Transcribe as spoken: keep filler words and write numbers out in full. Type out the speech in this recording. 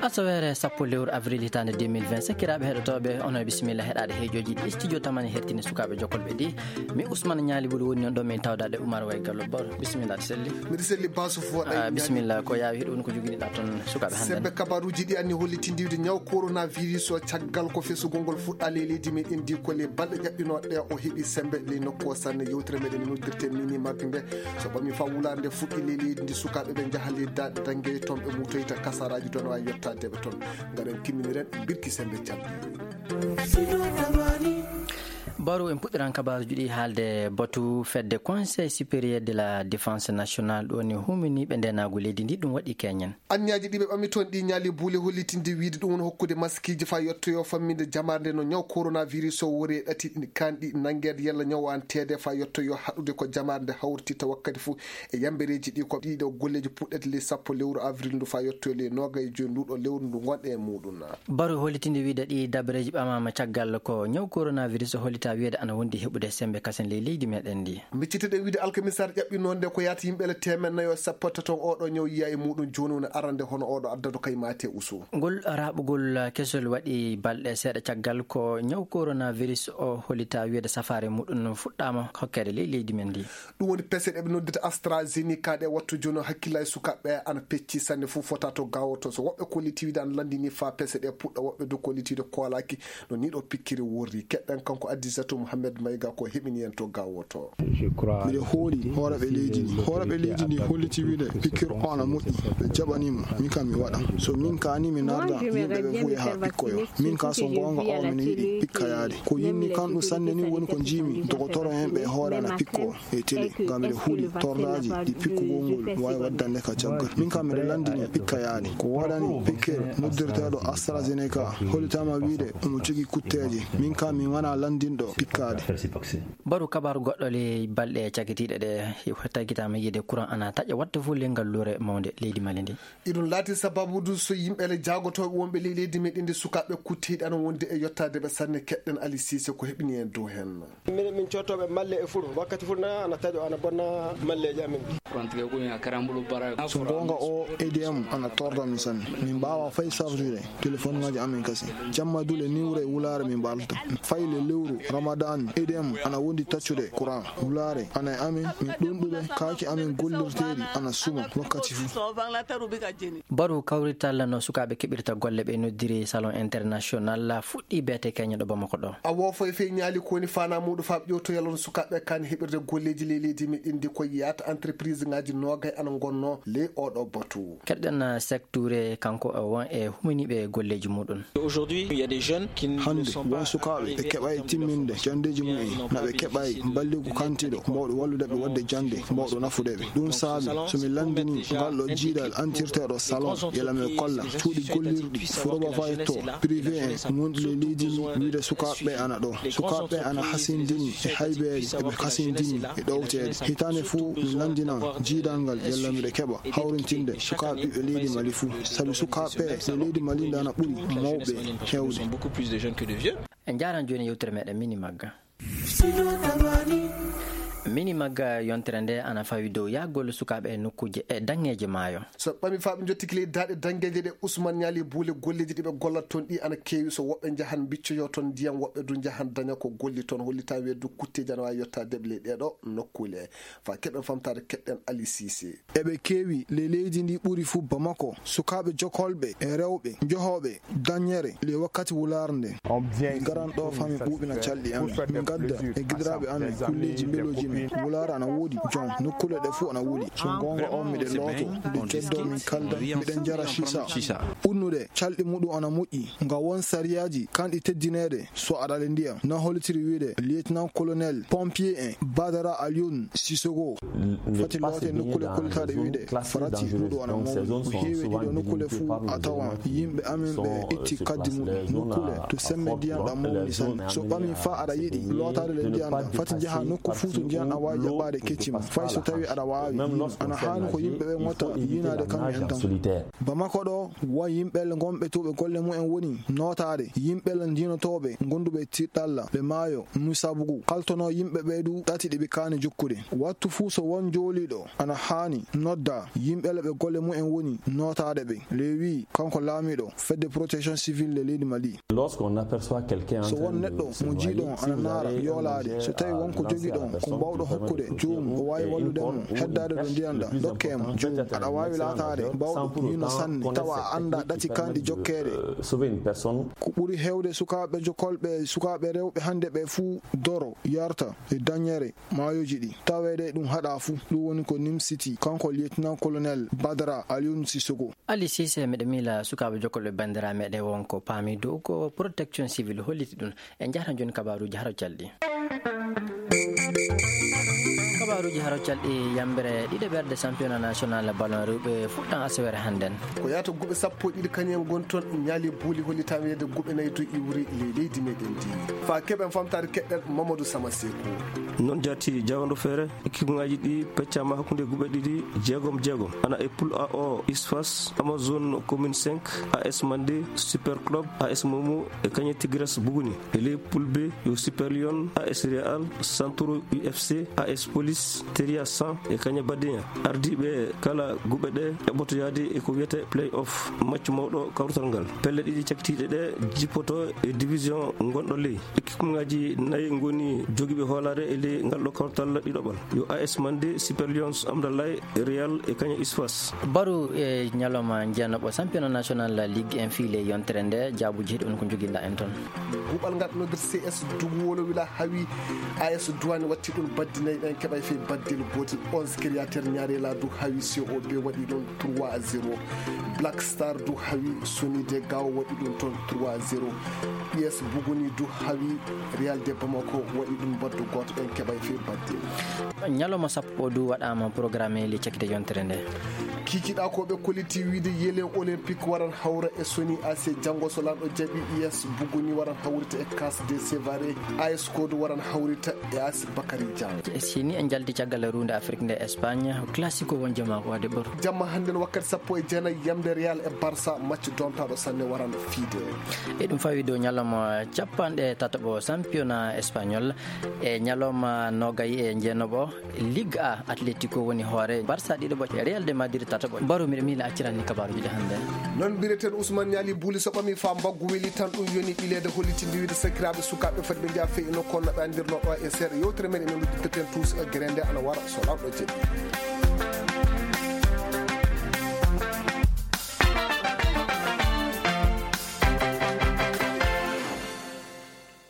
Asaweere sappo lewru avril hitaande deux mille vingt, sakiraaɓe heɗotooɓe, onon e bisimilla heɗaade heejooji ɗi studio tamani hertini sukaaɓe jokkolɓe ɗi. Mi Ousmane Ñaali Buli woni noon ɗo min tawdaade Oumar Way Gallo Bor. Bisimilla, aɗa selli? Miɗo selli, Basu Fuwa. Ah, bisimilla, ko yaawi heɗo woni ko jogiɗa toon sukaaɓe hannde? Sembe kabaruuji ɗi anni hollitindiwde ñaw coronavirus o caggal ko fesugol ngol fuɗɗaa ley leydi meɗen ndi, ko ley balɗe ƴaɓɓinooɗe ɗe o heɓi sembe ley nokku o sanne. Yewtere meɗen noddirte mini mag nde, so ɓami faa wulaare nde fuɗɗi ley leydi ndi, sukaaɓe ɓe njaha ley daaɗe danngeeje toon ɓe muutoyta kasaraaji toon waawi yottaade ɓe toon. Ngaɗen timminiren birki sembe calɗi. Baro, en puɗɗiran kabaaruuji ɗi haalde batu fedde Conseil supérieur de la défense nationale ɗo ni humini ɓe ndenaagu leydi ndi, ɗum waɗi keñen. Anniyaaji ɗi ɓe ɓami toon ɗi ñaali buule hollitinde wiyde ɗum woni hokkude maskiiji faa yottoyoo famminde jamaare nde no ñaw coronavirus o wori e ɗati ɗi kaanɗi nanngeede yalla ñaw o an teede faa yottoyoo haɗude ko jamaare nde hawrititta wakkati fof e yambereeji ɗi. Ko ɗiɗo golleeji puɗɗete ley sappo lewru avril ndu faa yottoyoo ley noogay e joy nduɗo lewru ndu ngonɗe e muɗum. Baro hollitinde wiyde ɗi dabareeji ɓamaama caggal ko ñaw coronavirus o hollita wiyde ana wondi heɓude sembe kasen ley leydi meɗen ndi. Micciteɗen wiyde alkamisaare ƴaɓɓinoonde ko yaata yimɓe ele teemeɗɗe nayo e sappo e tati on oɗo ñaw yiya e muɗum jooni woni arande hono oɗo addado kay maate usu. Ngol raɓugol kesol waɗi balɗe seeɗa caggal ko ñaw coronavirus o hollita wiyde safaare muɗum fuɗɗaama hokkeede ley leydi men ndi. Ɗum woni pese ɗe ɓe noddita AstraZeneca ɗe wattu jooni o hakkillaaji sukaaɓe ana pecci sanne fof fota to gawoto. So woɓɓe kolliti wiyde ana lanndini faa pese ɗe puɗɗa, woɓɓe du kolliti wiyde koolaaki. No nii ɗo pikkiri worri. Keɗɗen kanko Addisatou Mohamed Maïga ko heɓini en to gawoto. Miɗo hooli hooreeɓe leydi ndi. Hooreeɓe leydi ndi holliti wiyde pikkir o ana moƴƴi. Ɓe jaɓanii mo. Min kam mi waɗa. So min kaani mi narda yimɓe ɓe fof yaha pikkoyo. Min ka so goonga o miɗo yiɗi pikka yaade. Ko yinni kan ɗum sanne ni woni ko njiimi dogotoro en ɓe hoore ana pikko e télé. Ngam miɗo huli tordaaji ɗi pikkugol ngol waawi waddande ka caggal. Min kam miɗo lanndini pikka yaade. Ko waɗani pikkir noddirteeɗo AstraZeneca hollitaama wiyde omo jogii kutteeje. Min kam mi wona lanndinɗo pikkaade. Baru kabaaru goɗɗo ley balɗe cagitiiɗe ɗe tagitaama yiide courant ana taƴa watta fof ley ngal luure mawnde leydi Mali ndi. Iɗum laati sababu du so yimɓe ele jaagotooɓe wonɓe ley leydi meɗen ndi sukaaɓe kuttiiɗe ana wondi e yottaade ɓe sanne. Keɗɗen Ali Cissé ko heɓini en dow heen. Minen min cottooɓe malle e furo wakkati furo na ana taƴo ana bonna malleeji amen. So goonga o A D M ana torra min sanne. Min mbaawa fay sartude. Telefoŋaaji amen kasi. Jamma dule niwre wulaare min mbaalta. Fay le lewru Ramadan, A D M ana wondi taccude courant. Wulaare ana e amen, min ɗunɗuɓe, kaaki amen gollirteeɗi ana suma wakkati fuu. Baru kawrital no sukaaɓe keɓirta golle ɓe noddiri Salon International fuɗɗi beete keñe ɗo Bamako ɗo. A woofo e fey ñaali ko woni faanaa muuɗum faa ƴewtoyal on sukaaɓe kaan heɓirde golleeji ley leydi meɗen ndi ko yaata entreprise ŋaaji noogay ana ngonnoo ley oɗo batu. Keɗɗen Seck Touré, kanko o won e huminiiɓe golleeji muɗum. Hannde, won sukaaɓe ɓe keɓaay timminde janndeeji mumen, na ɓe keɓaay balligu kantiiɗo mbawɗo wallude ɓe waɗde jannde, mbawɗo nafude ɓe. Ɗum saabi, so mi lanndini ngal ɗo jiidal antirteeɗo Salon, yalla mi kolla cuuɗi gollirɗi, furoba fayetto, privé en, wonɗi ley leydi ndi, wiide sukaaɓe ɓe ana ɗo. Sukaaɓe ɓe ana hasindini e haybeeje, eɓe hasindini e ɗowteede. Hitaande fuu, mi lanndinan jiidal ngal, yalla miɗo keɓa hawrintinde sukaaɓe ɓiɓɓe leydi Mali fuu. Sabi sukaaɓe ɓe leydi Mali nde ana ɓuri mawɓe heewde. En njaaran jooni yewtere meɗen Mini Magga. Mini Magga yontere nde ana fawi dow yahgol sukaaɓe e nokkuuje e daŋŋeeje maayo. So ɓami faa ɓe njottiki ley daaɗe daŋŋeeje ɗe Ousmane Ñaali Buule, golleeji ɗi ɓe gollata toon ɗi ana keewi. So woɓɓe njahan mbiccoyoo toon ndiyam, woɓɓe du njahan daña ko golli toon. Hollitaa weedu kutteeji ana waawi yottaade ɓe ley ɗeeɗo nokkuule. Faa keɓen famtaade keɗɗen Ali Cissé. Eɓe keewi ley leydi ndi ɓuri fuu Bamako, sukaaɓe jokolɓe e rewɓe njohooɓe dañere ley wakkati wulaare nde. Min ngaran ɗo faa min ɓuuɓina calɗi amen. Min ngadda e giɗiraaɓe amen kulleeji mbelooji men. Wulaare ana woodi jom, nokkuule ɗe fuu ana wuli. So goonga on miɗen looto, nde coddo min kalda, miɗen njara sisa. Ɓurnude calɗi muɗum ana moƴƴi, nga won sariyaaji kanɗi teddineede. So aɗa ale ndiyam, na hollitiri wiide Lieutenant Colonel Pompier en Badara Alioune Sissoko. Fati loote nokkuule kollitaaɗe wiide farati ɗuɗo ana mawni. Ko heewi ɗiɗo nokkuule fuu a tawan yimɓe amen ɓe itti kaddi muɗum. Nokkuule to semme ndiyam ɗam mawni sanne. So ɓami faa aɗa yiɗi lootaade le ndiyam ɗam, fati njaha nokku fuu to ndiyam a waawi jaɓɓaade kecci ma, fay so tawii aɗa waawi. Ana haani ko yimɓe ɓe ŋotta yiinaade kaŋŋe en tan. Bamako ɗo, won yimɓe ngonɓe to ɓe golle mumen woni nootaade, yimɓe ndiinotooɓe gonduɓe tiɗɗalla, ɓe maayo, Musabugu, kaltonoo yimɓe ɓe du ɗati ɗi ɓe kaani jokkude. Wattu fuu so won jooliiɗo, ana haani nodda yimɓe ɓe golle mumen woni nootaade ɓe. Lewi, kanko laamiiɗo fedde protection civile de leydi Mali. Lorsqu'on aperçoit quelqu'un en So train won de neɗɗo se mo noyer, jiiɗon si ana vous naara avez un yoolaade, objet so tawi à won ko lancer à la jogiɗon ko personne, mbawɗo vous avez hokkude le joomum, o waawi et wallude une mo corde ou heddaade une ɗo perche, ndiyan le ɗan, plus dokke mo important, joomum. Peut-être Aɗa waawi laataade mbawɗo yiino sanne, tawa a anndaa ɗati kanɗi jokkeede. Sauver une personne. Ko ɓuri heewde sukaaɓe jokolɓe, sukaaɓe rewɓe hannde ɓe fuu doro, yarta e dañere maayooji ɗi. Taweede ɗum haɗaa fuu. Ɗum woni ko nimsiti kanko lieutenant colonel Badara Alioune Sissoko. Ali Sise, miɗo miila sukaaɓe jokkolɓe banndiraaɓe meɗen won ko paami dow ko protection civile holliti ɗum. En njahata jooni kabaaruuji haro calɗi. Kabaaruuji haro calɗi, yambere ɗiɗaɓerde championnat national ballon rewɓe fuɗɗan asawere hannden. Ko yahata guɓe sappo e ɗiɗi kañum en ngoni toon, ñaali buuli hollitaama wiyde guɓe nayi to iwri ley leydi meɗen ndi. Fa keɓen famtaade keɗɗen Mamadou Sama Seku. Noon jaati jawando feere, équipe ngaji ɗi peccaama hakkunde guɓe ɗiɗi jeegom jeegom. Ana e poule A o, Isfas, Amazone Commune cinq, A S Mandé, Super Club, A S Momo e kañe Tigres Buguni. E ley poule B yo Super Lion, A S Real, Santoro U F C, A S Police, Teria cent e kañe Badiña. Ardiiɓe kala guɓe ɗe eɓɓoto yahde e ko wiyetee play-off, match mawɗo kawrital ngal. Pelle ɗiɗi cakkitiiɗe ɗe jippoto e division ngonɗo ley. Équipe ngaji nayi ngoni jogiiɓe hoolaare e ley ngal ɗo kawrital ɗiɗaɓal. Yo A S Mandé, Super Lions, Amdalay, Real e kañe Isfas. Baru e ñalawma jeenaɓo championnat national Ligue un fii ley yontere nde, jaabuuji heɗi on ko njoginɗaa en toon. Guɓal ngal noddir C S Dugu Wolowila hawi A S Duwani watti ɗum baddi nayi ɗen keɓay fii baddel gootel. Onze Créateur Ñaarela du hawi C O B waɗi ɗum trois à zéro. Black Star du hawi Sony de Gao waɗi ɗum toon trois à zéro. U S Buguni du hawi Real de Bamako waɗi ɗum baddu gooto ɗen keɓay fii baddel. Ñalawma sappo du waɗaama programme e ley cakkite yontere nde. Kiikiiɗaa ko ɓe kolliti wiide Yelen Olympique waran hawra e Sony A C janngo so Lanɗo jaɓi, U S Buguni waran hawrita e Cas de Sevare, A S Kodu waran hawrita e A S Bakary Diagne. E sini en njalti caggal ruunde Afrik nde Espagne, Classico won jamma ko waɗde ɓoru. Jamma hannden wakkati sappo e jeenayi yamde Real e Barça, match doomtaaɗo sanne waran fiide. E ɗum fawi dow ñalawma capanɗe tataɓo championnat espagnol, e ñalawma noogay e jeenaɓo Ligue A, Atletico woni hoore, Barça ɗiɗaɓo, Real de Madrid tataɓo. Baru miɗo miila accirani kabaaruuji ɗi hannde. Noon mbiyaten Ousmane Ñaali Buuli so ɓami faa mbaggu weli tan ɗum yoni ɓileede hollitinde wiide sakiraaɓe sukaaɓe fotɓe njaha fey e nokku on no ɓe anndirnoo ɗo e seeɗa yewtere meɗen men udditeten tuus e gere nde ana wara so Lanɗo jaɓi.